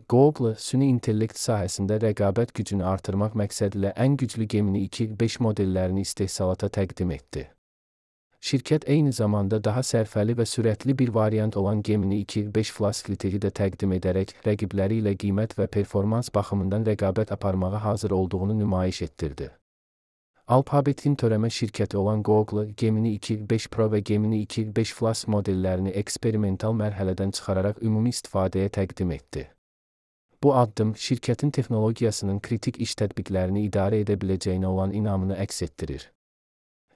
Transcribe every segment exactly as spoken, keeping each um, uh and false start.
Google, süni intellekt sahəsində rəqabət gücünü artırmaq məqsədilə ən güclü Gemini iki beş modellərini istehsalata təqdim etdi. Şirkət eyni zamanda daha sərfəli və sürətli bir variant olan Gemini iki beş Flash-Flight-i də təqdim edərək, rəqibləri ilə qiymət və performans baxımından rəqabət aparmağa hazır olduğunu nümayiş etdirdi. Alphabet'in törəmə şirkəti olan Google, Gemini iki beş Pro və Gemini iki beş Flash modellərini eksperimental mərhələdən çıxararaq ümumi istifadəyə təqdim etdi. Bu addım, şirkətin texnologiyasının kritik iş tətbiqlərini idarə edə biləcəyinə olan inamını əks etdirir.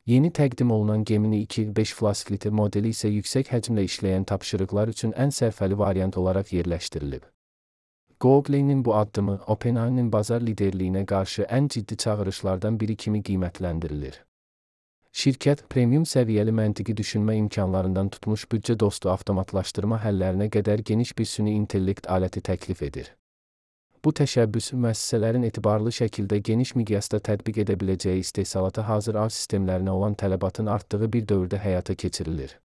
Yeni təqdim olunan Gemini iki beş Flash-Flight modeli isə yüksək həcmlə işləyən tapşırıqlar üçün ən sərfəli variant olaraq yerləşdirilib. Google'nin bu addımı, OpenAI'nin bazar liderliyinə qarşı ən ciddi çağırışlardan biri kimi qiymətləndirilir. Şirkət, premium səviyyəli məntiqi düşünmə imkanlarından tutmuş büdcə dostu avtomatlaşdırma həllərinə qədər geniş bir süni intellekt aləti təklif edir. Bu təşəbbüs, müəssisələrin etibarlı şəkildə geniş miqyasda tətbiq edə biləcəyi istehsalata hazır ağ sistemlərinə olan tələbatın artdığı bir dövrdə həyata keçirilir.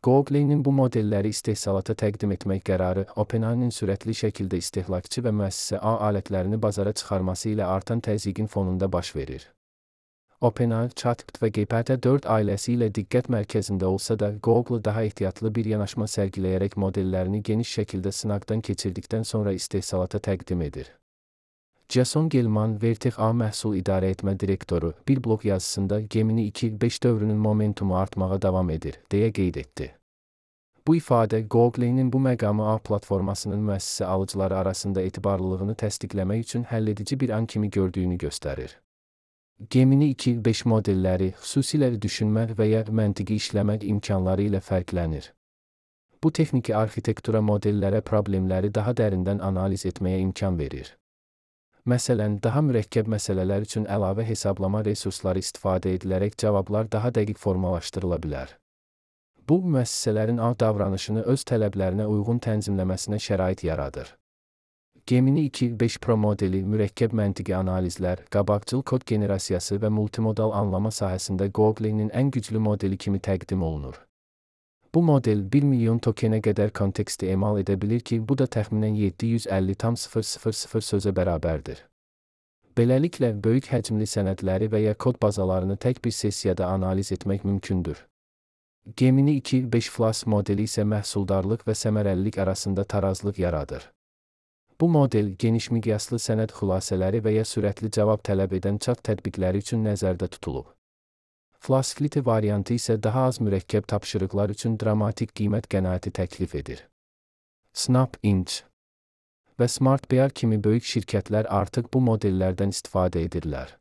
Google'nin bu modelləri istehsalata təqdim etmək qərarı, OpenAI'nin sürətli şəkildə istehlakçı və müəssisə ağ alətlərini bazara çıxarması ilə artan təzyiqin fonunda baş verir. OpenAI, ChatGPT və G P T dörd ailəsi ilə diqqət mərkəzində olsa da, Google daha ehtiyatlı bir yanaşma sərgiləyərək modellərini geniş şəkildə sınaqdan keçirdikdən sonra istehsalata təqdim edir. Jason Gelman, Vertex A məhsul idarə etmə direktoru, bir blog yazısında Gemini iki beş dövrünün momentumu artmağa davam edir, deyə qeyd etdi. Bu ifadə, Google'nin bu məqamı A platformasının müəssisə alıcıları arasında etibarlılığını təsdiqləmək üçün həlledici bir an kimi gördüyünü göstərir. Gemini iki beş modelləri, xüsusilə düşünmə və ya məntiqi işləmək imkanları ilə fərqlənir. Bu texniki arxitektura modellərə problemləri daha dərindən analiz etməyə imkan verir. Məsələn, daha mürəkkəb məsələlər üçün əlavə hesablama resursları istifadə edilərək cavablar daha dəqiq formalaşdırıla bilər. Bu, müəssisələrin ağ davranışını öz tələblərinə uyğun tənzimləməsinə şərait yaradır. Gemini iki beş Pro modeli mürəkkəb məntiqi analizlər, qabaqcıl kod generasiyası və multimodal anlama sahəsində Google'nin ən güclü modeli kimi təqdim olunur. Bu model bir milyon tokenə qədər konteksti emal edə bilir ki, bu da təxminən yeddi yüz əlli min sözə bərabərdir. Beləliklə, böyük həcmli sənədləri və ya kod bazalarını tək bir sessiyada analiz etmək mümkündür. Gemini iki beş Flash modeli isə məhsuldarlıq və səmərəlilik arasında tarazlıq yaradır. Bu model, geniş miqyaslı sənəd xülasələri və ya sürətli cavab tələb edən chat tətbiqləri üçün nəzərdə tutulub. Flash-Flight variantı isə daha az mürəkkəb tapşırıqlar üçün dramatik qiymət qənaəti təklif edir. SnapInch və SmartBear kimi böyük şirkətlər artıq bu modellərdən istifadə edirlər.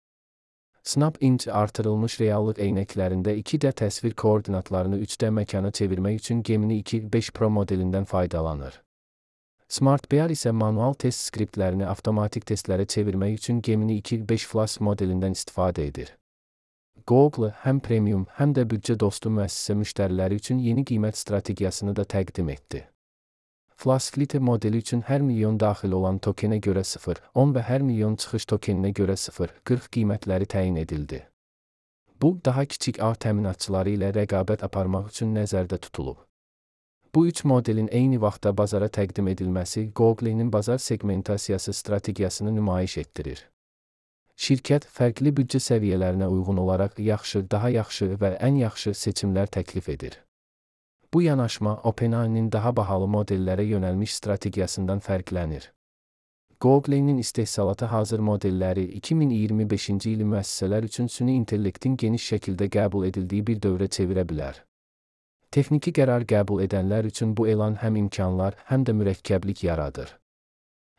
SnapInch artırılmış reallıq eynəklərində iki D təsvir koordinatlarını üç D məkana çevirmək üçün Gemini iki beş Pro modelindən faydalanır. SmartBear isə manual test skriptlərini avtomatik testlərə çevirmək üçün Gemini iki beş Flash modelindən istifadə edir. Google həm premium, həm də büdcə dostu müəssisə müştəriləri üçün yeni qiymət strategiyasını da təqdim etdi. Flash-Flight modeli üçün hər milyon daxil olan tokenə görə sıfır nöqtə on və hər milyon çıxış tokeninə görə sıfır nöqtə qırx qiymətləri təyin edildi. Bu, daha kiçik ağ təminatçıları ilə rəqabət aparmaq üçün nəzərdə tutulub. Bu üç modelin eyni vaxtda bazara təqdim edilməsi Google'nin bazar segmentasiyası strategiyasını nümayiş etdirir. Şirkət, fərqli büdcə səviyyələrinə uyğun olaraq yaxşı, daha yaxşı və ən yaxşı seçimlər təklif edir. Bu yanaşma, OpenAI'nin daha bahalı modellərə yönəlmiş strategiyasından fərqlənir. Google'nin istehsalata hazır modelləri iki min iyirmi beşinci ili müəssisələr üçün süni intellektin geniş şəkildə qəbul edildiyi bir dövrə çevirə bilər. Texniki qərar qəbul edənlər üçün bu elan həm imkanlar, həm də mürəkkəblik yaradır.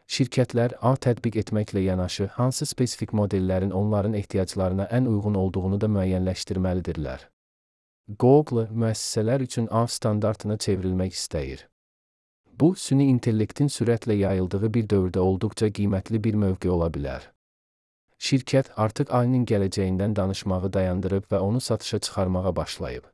Şirkətlər, ağ tətbiq etməklə yanaşı, hansı spesifik modellərin onların ehtiyaclarına ən uyğun olduğunu da müəyyənləşdirməlidirlər. Google, müəssisələr üçün ağ standartına çevrilmək istəyir. Bu, süni intellektin sürətlə yayıldığı bir dövrdə olduqca qiymətli bir mövqe ola bilər. Şirkət artıq A I-nin gələcəyindən danışmağı dayandırıb və onu satışa çıxarmağa başlayıb.